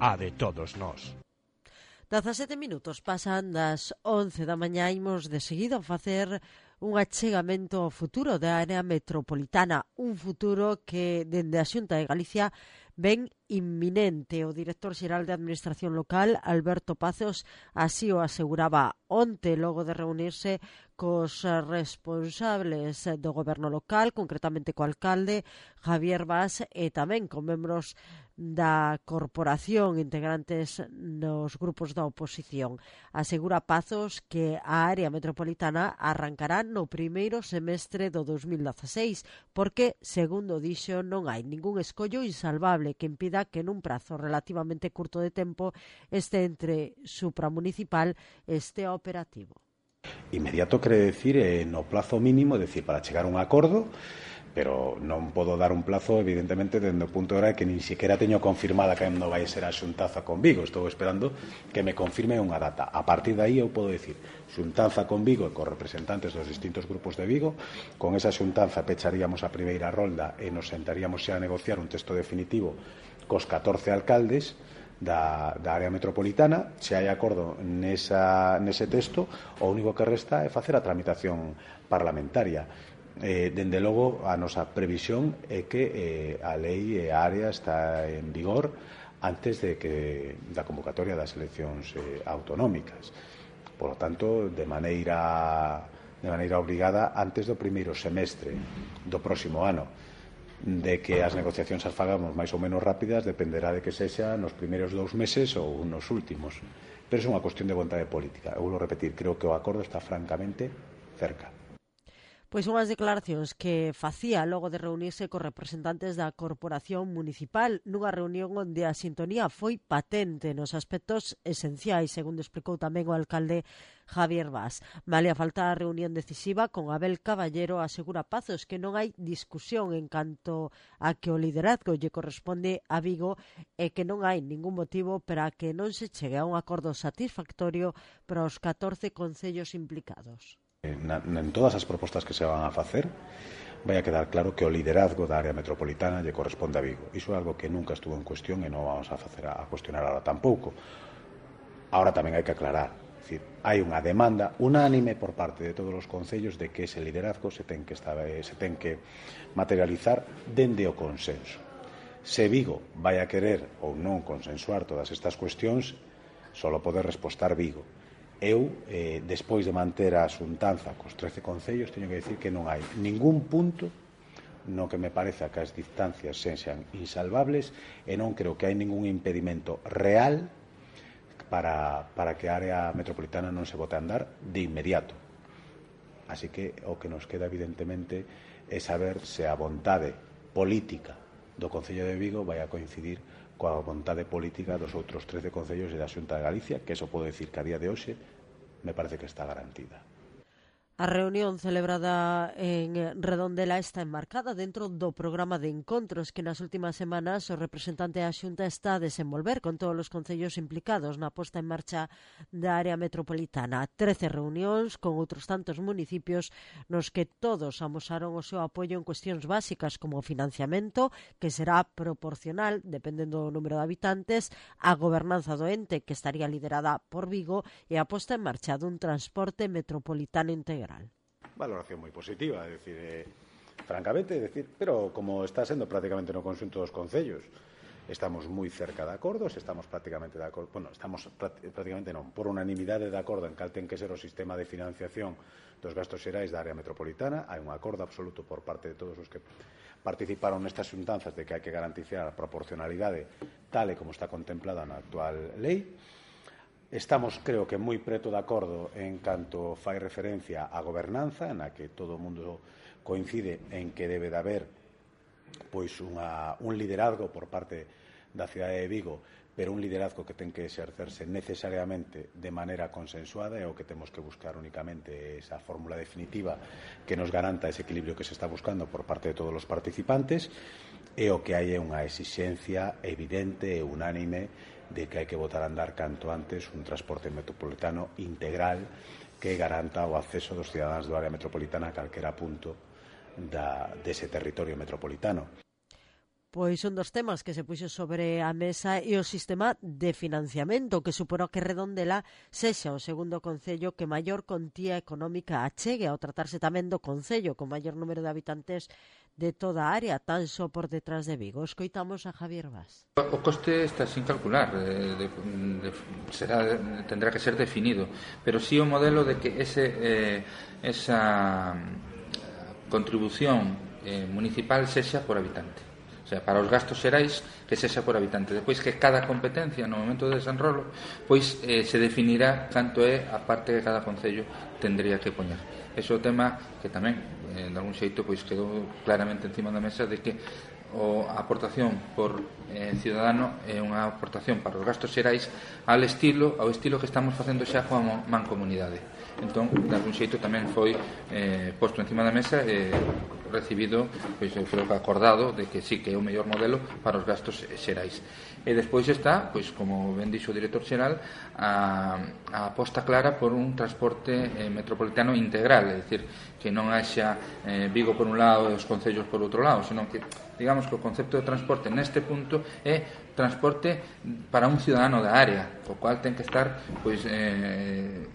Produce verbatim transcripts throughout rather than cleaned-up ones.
a de todos nós. dezasete minutos pasan das once da mañá, imos de seguido facer un achegamento ao futuro da área metropolitana, un futuro que dende a Xunta de Galicia ven inminente. O director xeral de Administración Local, Alberto Pazos, así o aseguraba onte, logo de reunirse cos responsables do goberno local, concretamente co alcalde Javier Bas, e tamén con membros da corporación integrantes nos grupos da oposición. Asegura Pazos que a área metropolitana arrancará no primeiro semestre do dos mil dezaseis, porque, segundo dixo, non hai ningún escollo insalvable que impida que nun prazo relativamente curto de tempo este entre supramunicipal este operativo. Inmediato quere decir eh, no plazo mínimo, é dicir, para chegar a un acordo, pero non podo dar un plazo, evidentemente, dende o punto de hora que nin sequera teño confirmada que non vai ser a xuntanza con Vigo. Estou esperando que me confirme unha data. A partir de aí eu podo decir xuntanza con Vigo e cos representantes dos distintos grupos de Vigo. Con esa xuntanza pecharíamos a primeira rolda e nos sentaríamos xa a negociar un texto definitivo cos catorce alcaldes Da, da área metropolitana. Se hai acordo nesa, nese texto, o único que resta é facer a tramitación parlamentaria. Eh, dende logo, a nosa previsión é que eh, a lei e a área está en vigor antes de que da convocatoria das eleccións eh, autonómicas. Por lo tanto, de maneira, de maneira obrigada antes do primeiro semestre do próximo ano. De que as negociacións as fagamos máis ou menos rápidas dependerá de que sexa nos primeiros dous meses ou nos últimos. Pero é unha cuestión de vontade política. Eu vou repetir, creo que o acordo está francamente cerca. Pois unhas declaracións que facía logo de reunirse cos representantes da Corporación Municipal nunha reunión onde a sintonía foi patente nos aspectos esenciais, segundo explicou tamén o alcalde Javier Bas. Malia falta a reunión decisiva con Abel Caballero, asegura Pazos que non hai discusión en canto a que o liderazgo lle corresponde a Vigo e que non hai ningún motivo para que non se chegue a un acordo satisfactorio para os catorce concellos implicados. Na, en todas as propostas que se van a facer vai a quedar claro que o liderazgo da área metropolitana lle corresponde a Vigo. Iso é algo que nunca estuvo en cuestión e non vamos a facer a, a cuestionar ahora tampouco. Ahora tamén hai que aclarar, é dicir, hai unha demanda unánime por parte de todos os concellos de que ese liderazgo se ten que, estar, se ten que materializar dende o consenso. Se Vigo vai a querer ou non consensuar todas estas cuestións, só pode respostar Vigo. Eu, eh, despois de manter a xuntanza cos trece concellos, teño que dicir que non hai ningún punto no que me pareza que as distancias sexan insalvables e non creo que hai ningún impedimento real para, para que a área metropolitana non se bote a andar de inmediato. Así que o que nos queda, evidentemente, é saber se a vontade política do Concello de Vigo vai a coincidir coa vontade política dos outros trece concellos e da Xunta de Galicia, que eso podo decir que a día de hoxe me parece que está garantida. A reunión celebrada en Redondela está enmarcada dentro do programa de encontros que nas últimas semanas o representante da Xunta está a desenvolver con todos os concellos implicados na posta en marcha da área metropolitana. Trece reunións con outros tantos municipios nos que todos amosaron o seu apoio en cuestións básicas como o financiamento, que será proporcional, dependendo do número de habitantes, a gobernanza do ente, que estaría liderada por Vigo, e a posta en marcha dun transporte metropolitano integral. Valoración moi positiva, é dicir, eh, francamente, é dicir, pero como está sendo prácticamente no conxunto dos concellos, estamos moi cerca de acordos, estamos prácticamente de acordo, bueno, estamos prácticamente non, por unanimidade de acordo en cal ten que ser o sistema de financiación dos gastos xerais da área metropolitana. Hai un acordo absoluto por parte de todos os que participaron nestas xuntanzas de que hai que garantizar a proporcionalidade tal e como está contemplada na actual lei. Estamos, creo que, moi preto de acordo en canto fai referencia á gobernanza, na que todo o mundo coincide en que debe de haber pois unha, un liderazgo por parte da cidade de Vigo, pero un liderazgo que ten que exercerse necesariamente de maneira consensuada, e o que temos que buscar únicamente esa fórmula definitiva que nos garanta ese equilibrio que se está buscando por parte de todos os participantes, e o que hai é unha exixencia evidente e unánime de que hai que botar a andar canto antes un transporte metropolitano integral que garanta o acceso dos cidadáns do área metropolitana a calquera punto da, dese territorio metropolitano. Pois un dos temas que se puxo sobre a mesa é o sistema de financiamento, que suporá que Redondela sexa o segundo concello que maior contía económica achegue, ao tratarse tamén do concello con maior número de habitantes de toda a área, tan só por detrás de Vigo. Escoitamos a Javier Vaz. O coste está sin calcular, de, de, de, será, tendrá que ser definido, pero sí o modelo de que ese, eh, esa contribución eh, municipal sexa por habitante. O sea, para os gastos xerais que sexa por habitante. Depois que cada competencia no momento de desenrolo pois eh, se definirá canto é a parte que cada concello tendría que poñer. Ese é o tema que tamén eh, de algún xeito pois quedou claramente encima da mesa de que o, a aportación por eh, ciudadano é unha aportación para os gastos xerais ao estilo, ao estilo que estamos facendo xa coa mancomunidade. Entón, de algún xeito tamén foi eh, posto encima da mesa e eh, recibido, pois eu creo que acordado de que sí que é o mellor modelo para os gastos xerais. E despois está, pois como ben dixo o director xeral, a, a aposta clara por un transporte eh, metropolitano integral, é dicir, que non haxa eh, Vigo por un lado e os concellos por outro lado, senón que, digamos que o concepto de transporte neste punto é transporte para un ciudadano da área, o cual ten que estar, pois, eh,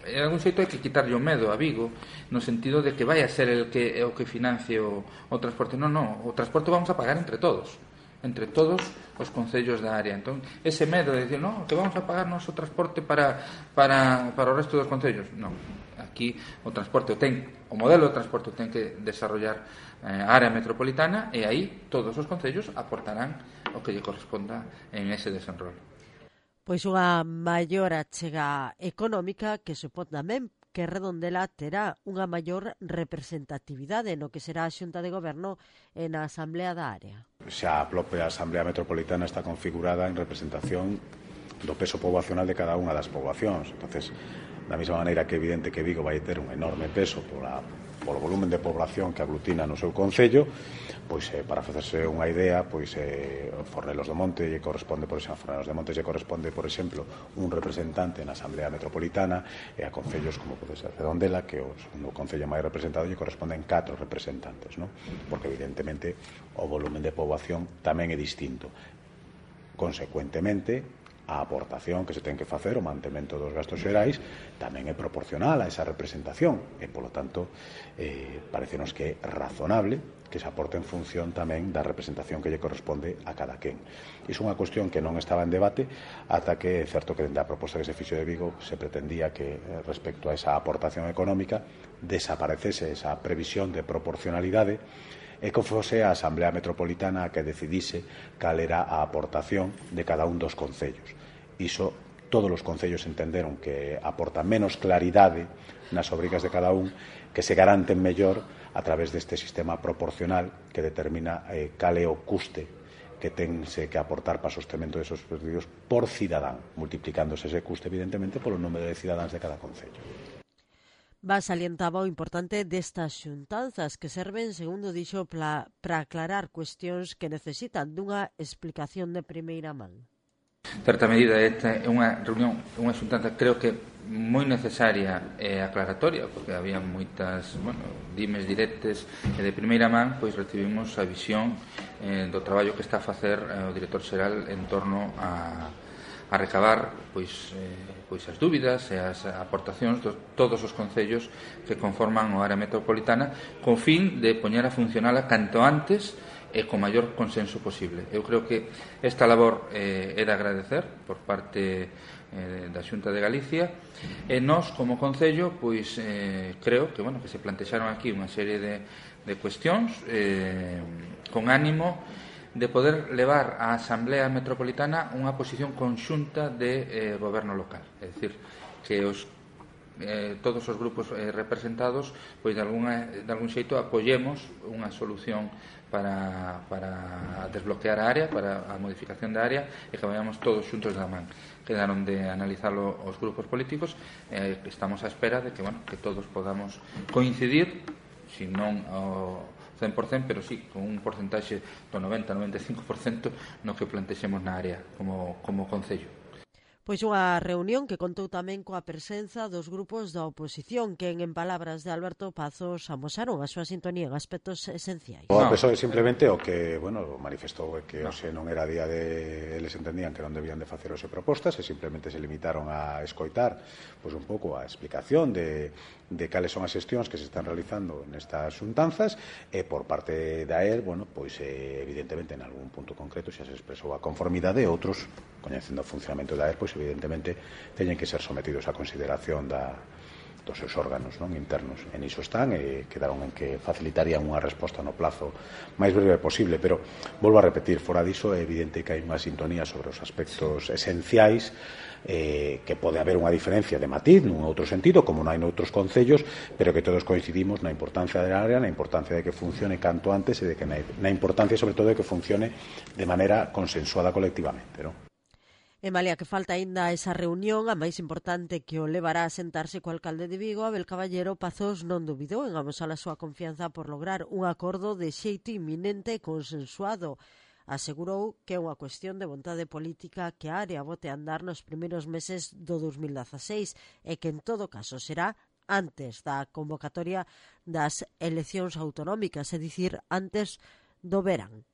en algún xeito hai que quitarlle o medo a Vigo no sentido de que vai a ser el que é o que financie o, o transporte. Non, non, o transporte vamos a pagar entre todos, entre todos os concellos da área. Entón, ese medo de decir, non, que vamos a pagar noso transporte para, para, para o resto dos concellos. Non, aquí o transporte o ten, o modelo de transporte ten que desarrollar eh, a área metropolitana e aí todos os concellos aportarán o que lle corresponda en ese desenrolo. Pois unha maior achega económica que supón tamén que Redondela terá unha maior representatividade no que será a Xunta de Goberno e na Asamblea da área. Xa a propia Asamblea Metropolitana está configurada en representación do peso poboacional de cada unha das poboacións. Entonces, da mesma maneira que é evidente que Vigo vai ter un enorme peso pola, polo volumen de población que aglutina no seu concello, pois eh, para facerse unha idea, pois eh, Fornelos do Monte lle corresponde, por exemplo, Fornelos de Monte lle corresponde, por exemplo, un representante na Asamblea Metropolitana, e a concellos como pode ser Redondela, que o segundo concello máis representado lle corresponden catro representantes, non? Porque evidentemente o volumen de poboación tamén é distinto. Consecuentemente, a aportación que se ten que facer, o mantemento dos gastos xerais, tamén é proporcional a esa representación e, polo tanto, eh, parecenos que é razonable que se aporte en función tamén da representación que lle corresponde a cada quen. Iso é unha cuestión que non estaba en debate ata que é certo que dende a proposta que se fixo de Vigo se pretendía que, respecto a esa aportación económica, desaparecese esa previsión de proporcionalidade e que fose a Asamblea Metropolitana a que decidise cal era a aportación de cada un dos concellos. Iso, todos os concellos entenderon que aporta menos claridade nas obrigas de cada un, que se garanten mellor a través deste sistema proporcional que determina eh, cal é o custe que tense que aportar para o sostemento desos servicios por cidadán, multiplicándose ese custe, evidentemente, polo número de cidadáns de cada concello. Va salientaba o importante destas xuntanzas que serven, segundo dixo, para aclarar cuestións que necesitan dunha explicación de primeira man. Certa medida, esta é unha reunión, unha xuntanza creo que moi necesaria e aclaratoria, porque había moitas, bueno, dimes directes e de primeira man, pois recibimos a visión eh, do traballo que está a facer eh, o director xeral en torno a a recabar pois, eh, pois as dúbidas e as aportacións de todos os concellos que conforman o área metropolitana con fin de poñer a funcionala canto antes e con maior consenso posible. Eu creo que esta labor eh, é de agradecer por parte eh, da Xunta de Galicia e nós como concello pois eh, creo que, bueno, que se plantexaron aquí unha serie de, de cuestións eh, con ánimo de poder levar á Asamblea Metropolitana unha posición conxunta de eh, goberno local, é dicir, que os, eh, todos os grupos eh, representados pois de, alguna, de algún xeito apoyemos unha solución para, para desbloquear a área, para a modificación da área e que vayamos todos xuntos da man. Quedaron de analizarlo os grupos políticos e eh, estamos á espera de que, bueno, que todos podamos coincidir, se non o cen por cento, pero sí, con un porcentaxe do noventa a noventa e cinco por cento no que plantexemos na área como, como concello. Pois unha reunión que contou tamén coa presenza dos grupos da oposición que, en palabras de Alberto Pazos, amosaron a súa sintonía en aspectos esenciais. O no. P S O E simplemente o que, bueno, manifestou que no. Ose non era día de... Eles entendían que non debían de facer ose propostas e simplemente se limitaron a escoitar pois un pouco a explicación de, de cales son as xestións que se están realizando nestas xuntanzas e por parte da E R, bueno, pois eh, evidentemente en algún punto concreto xa se expresou a conformidade e outros, coñecendo o funcionamento da E R, pois evidentemente teñen que ser sometidos a consideración da, dos seus órganos non internos. En iso están e quedaron en que facilitarían unha resposta no plazo máis breve posible, pero volvo a repetir, fora diso é evidente que hai unha sintonía sobre os aspectos esenciais, eh, que pode haber unha diferencia de matiz nun outro sentido, como non hai noutros concellos, pero que todos coincidimos na importancia da área, na importancia de que funcione canto antes e de que na, na importancia sobre todo de que funcione de maneira consensuada colectivamente, non? E malia que falta aínda esa reunión, a máis importante que o levará a sentarse co alcalde de Vigo, Abel Caballero, Pazos non dubidou en amosar a súa confianza por lograr un acordo de xeito inminente e consensuado. Asegurou que é unha cuestión de vontade política que a área bote a andar nos primeiros meses do dos mil dezaseis e que en todo caso será antes da convocatoria das eleccións autonómicas, é dicir, antes do verán.